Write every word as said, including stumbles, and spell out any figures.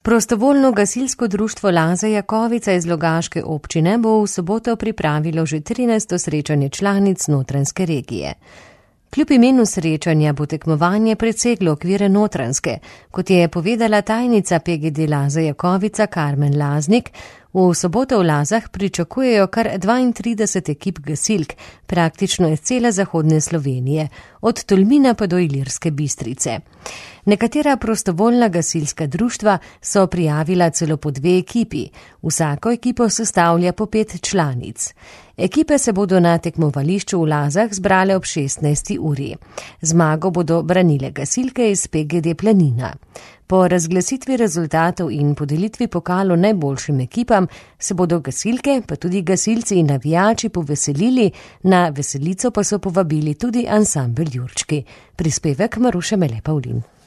Prostovoljno gasilsko društvo Laza Jakovica iz Logaške občine bo v soboto pripravilo že trinajsto srečanje članic Notranjske regije. Kljub imenu srečanja bo tekmovanje preseglo okvire Notranjske, kot je povedala tajnica P G D Laza Jakovica Karmen Laznik. V soboto v Lazah pričakujejo kar dvaintrideset ekip gasilk, praktično iz cele zahodne Slovenije, od Tolmina pa do Ilirske Bistrice. Nekatera prostovoljna gasilska društva so prijavila celo po dve ekipi, vsako ekipo sestavlja po pet članic. Ekipe se bodo na tekmovališču v Lazah zbrale ob šestnajsti uri. Zmago bodo branile gasilke iz P G D Planina. Po razglasitvi rezultatov in podelitvi pokalu najboljšim ekipam se bodo gasilke, pa tudi gasilci in navijači poveselili, na veselico pa so povabili tudi ansambel Jurčki. Prispevek Maruše Mele Pavlin.